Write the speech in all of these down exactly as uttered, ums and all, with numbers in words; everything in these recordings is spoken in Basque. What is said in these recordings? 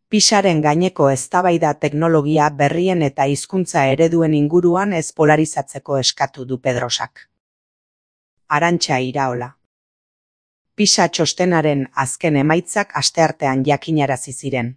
Pisaren gaineko eztabaida teknologia berrien eta hizkuntza ereduen inguruan ez polarizatzeko eskatu du Pedrosak. Arantxa Iraola. Pisa txostenaren azken emaitzak asteartean jakinarazi ziren.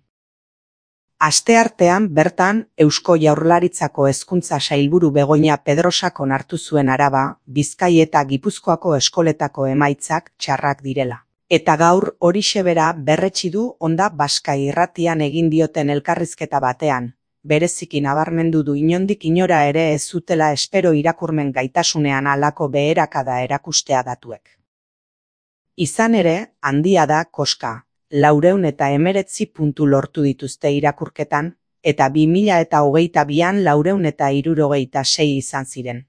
Asteartean bertan Eusko Jaurlaritzako hezkuntza sailburu Begoña Pedrosak onartu zuen Araba, Bizkai eta Gipuzkoako eskoletako emaitzak txarrak direla. Eta gaur horixe bera berretsi du Onda Baska irratian egin dioten elkarrizketa batean, bereziki nabarmendu du inondik inora ere ez zutela espero irakurmen gaitasunean halako beherakada erakustea datuek. Izan ere, handia da koska, laurehun eta hemeretzi puntu lortu dituzte irakurketan, eta bi mila eta hogeita bian laurehun eta hirurogeita sei izan ziren.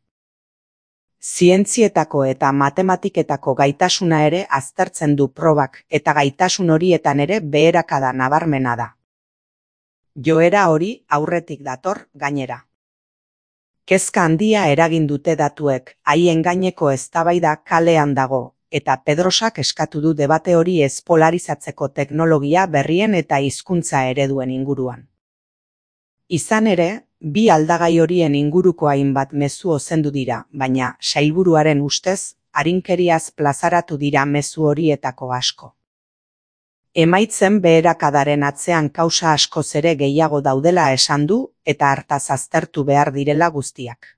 Zientzietako eta matematiketako gaitasuna ere aztertzen du probak eta gaitasun horietan ere beherakada nabarmena da. Joera hori aurretik dator gainera. Kezka handia eragin dute datuek, haien gaineko eztabaida kalean dago, eta Pedrosak eskatu du debate hori ez polarizatzeko teknologia berrien eta hizkuntza ereduen inguruan. Izan ere, bi aldagai horien inguruko hainbat mezu ozendu dira, baina sailburuaren ustez, arinkeriaz plazaratu dira mezu horietako asko. Emaitzen beherakadaren atzean kausa askoz ere gehiago daudela esan du eta hartaz aztertu behar direla guztiak.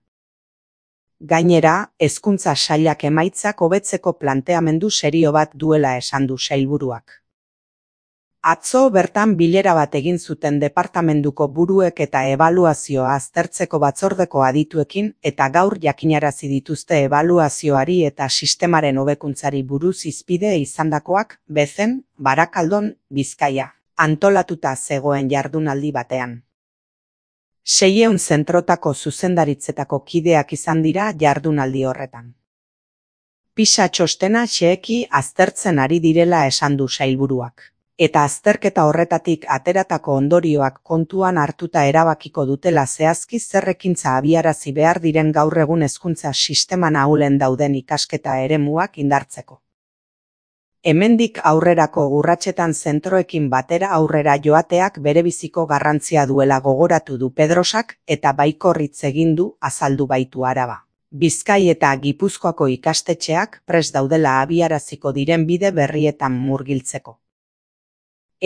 Gainera, hezkuntza sailak emaitzak hobetzeko planteamendu serio bat duela esan du sailburuak. Atzo bertan bilera bat egin zuten departamenduko buruek eta ebaluazioa aztertzeko batzordeko adituekin eta gaur jakinarazi dituzte ebaluazioari eta sistemaren hobekuntzari buruz hizpide izandakoak Bezen, Barakaldon, Bizkaia, antolatuta zegoen jardunaldi batean. Seiehun zentrotako zuzendaritzetako kideak izan dira jardunaldi horretan. Pisa txostena xeheki aztertzen ari direla esan du sailburuak. Eta azterketa horretatik ateratako ondorioak kontuan hartuta erabakiko dutela zehazki zer ekintza abiarazi behar diren gaur egun hezkuntza sisteman ahulen dauden ikasketa eremuak indartzeko. Hemendik aurrerako urratsetan zentroekin batera aurrera joateak berebiziko garrantzia duela gogoratu du Pedrosak eta baikorritz egin du azaldu baitu Araba. Bizkai eta Gipuzkoako ikastetxeak prest daudela abiaraziko diren bide berrietan murgiltzeko.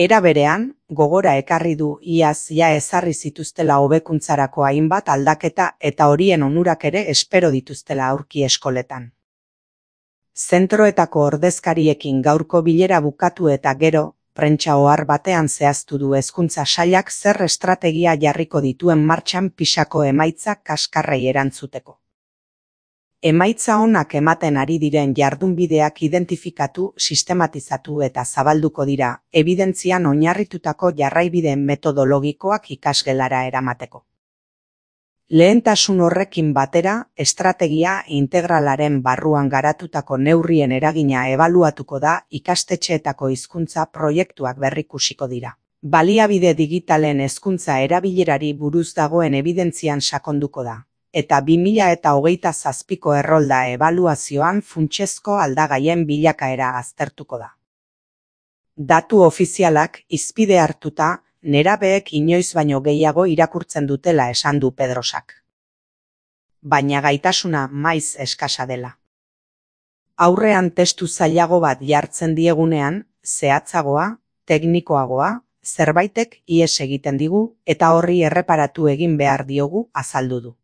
Era berean, gogora ekarri du iaz ja ezarri zituztela hobekuntzarako hainbat aldaketa eta horien onurak ere espero dituztela aurki eskoletan. Zentroetako ordezkariekin gaurko bilera bukatu eta gero, prentsa ohar batean zehaztu du hezkuntza sailak zer estrategia jarriko dituen martxan Pisako emaitzak kaskarrei erantzuteko. Emaitza onak ematen ari diren jardunbideak identifikatu, sistematizatu eta zabalduko dira, ebidentzian oinarritutako jarraibide metodologikoak ikasgelara eramateko. Lehentasun horrekin batera, estrategia integralaren barruan garatutako neurrien eragina ebaluatuko da ikastetxeetako hizkuntza proiektuak berrikusiko dira. Baliabide digitalen hezkuntza erabilerari buruz dagoen ebidentzian sakonduko da. Eta bi mila eta hogeita zazpiko errolda ebaluazioan funtsezko aldagaien bilakaera aztertuko da. Datu ofizialak hizpide hartuta, nerabeek inoiz baino gehiago irakurtzen dutela esan du Pedrosak. Baina gaitasuna maiz eskasa dela. Aurrean testu zailago bat jartzen diegunean, zehatzagoa, teknikoagoa, zerbaitek ihes egiten digu eta horri erreparatu egin behar diogu azaldu du.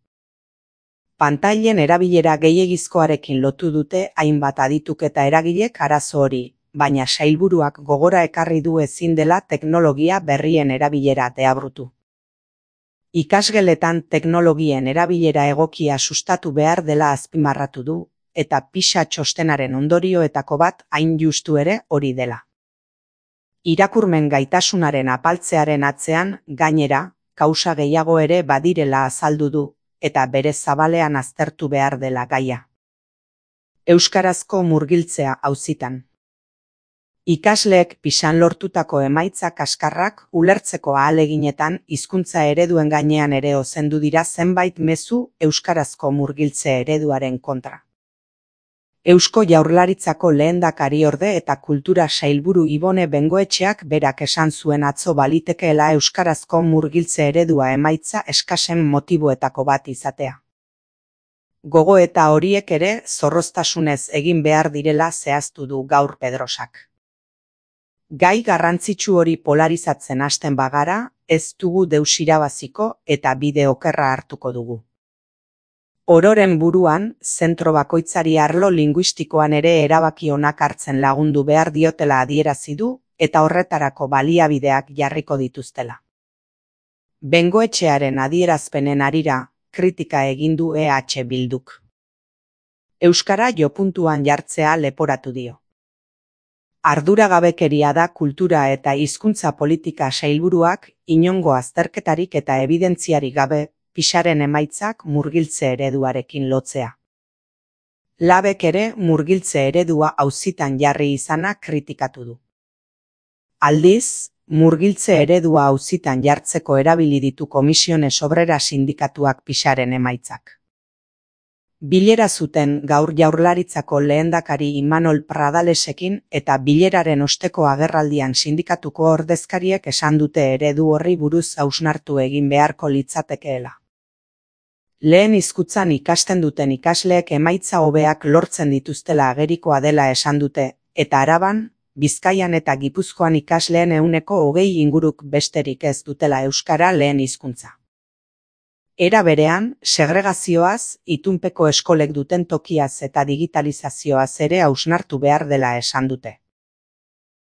Pantailen erabilera gehiegizkoarekin lotu dute hainbat adituk eta eragilek arazo hori, baina sailburuak gogora ekarri du ezin dela teknologia berrien erabilera deabrutu. Ikasgeletan teknologien erabilera egokia sustatu behar dela azpimarratu du, eta Pisa txostenaren ondorioetako bat hain justu ere hori dela. Irakurmen gaitasunaren apaltzearen atzean, gainera, kausa gehiago ere badirela azaldu du, eta bere zabalean aztertu behar dela gaia. Euskarazko murgiltzea auzitan. Ikasleek Pisan lortutako emaitza kaskarrak ulertzeko ahaleginetan hizkuntza ereduen gainean ere ozendu dira zenbait mezu euskarazko murgiltze ereduaren kontra. Eusko Jaurlaritzako lehendakariorde eta kultura sailburu Ibone Bengoetxeak berak esan zuen atzo balitekeela euskarazko murgiltze eredua emaitza eskasen motiboetako bat izatea. Gogoeta horiek ere zorroztasunez egin behar direla zehaztu du gaur Pedrosak. Gai garrantzitsu hori polarizatzen hasten bagara, ez dugu deus irabaziko eta bide okerra hartuko dugu. Ororen buruan, zentro bakoitzari arlo linguistikoan ere erabaki onak hartzen lagundu behar diotela adierazi du eta horretarako baliabideak jarriko dituztela. Bengoetxearen adierazpenen harira, kritika egin du E H Bilduk. Euskara jopuntuan jartzea leporatu dio. Arduragabekeria da kultura eta hizkuntza politika sailburuak inongo azterketarik eta ebidentziarik gabe Pixaren emaitzak murgiltze ereduarekin lotzea. Labek ere murgiltze eredua auzitan jarri izana kritikatu du. Aldiz, murgiltze eredua auzitan jartzeko erabili ditu Komisiones Obrera sindikatuak Pixaren emaitzak. Bilera zuten gaur Jaurlaritzako lehendakari Imanol Pradalesekin eta bileraren osteko agerraldian sindikatuko ordezkariek esan dute eredu horri buruz hausnartu egin beharko litzatekeela. Lehen hizkuntzan ikasten duten ikasleek emaitza hobeak lortzen dituztela agerikoa dela esan dute, eta Araban, Bizkaian eta Gipuzkoan ikasleen ehuneko hogei inguruk besterik ez dutela euskara lehen hizkuntza. Era berean, segregazioaz, itunpeko eskolek duten tokiaz eta digitalizazioaz ere hausnartu behar dela esan dute.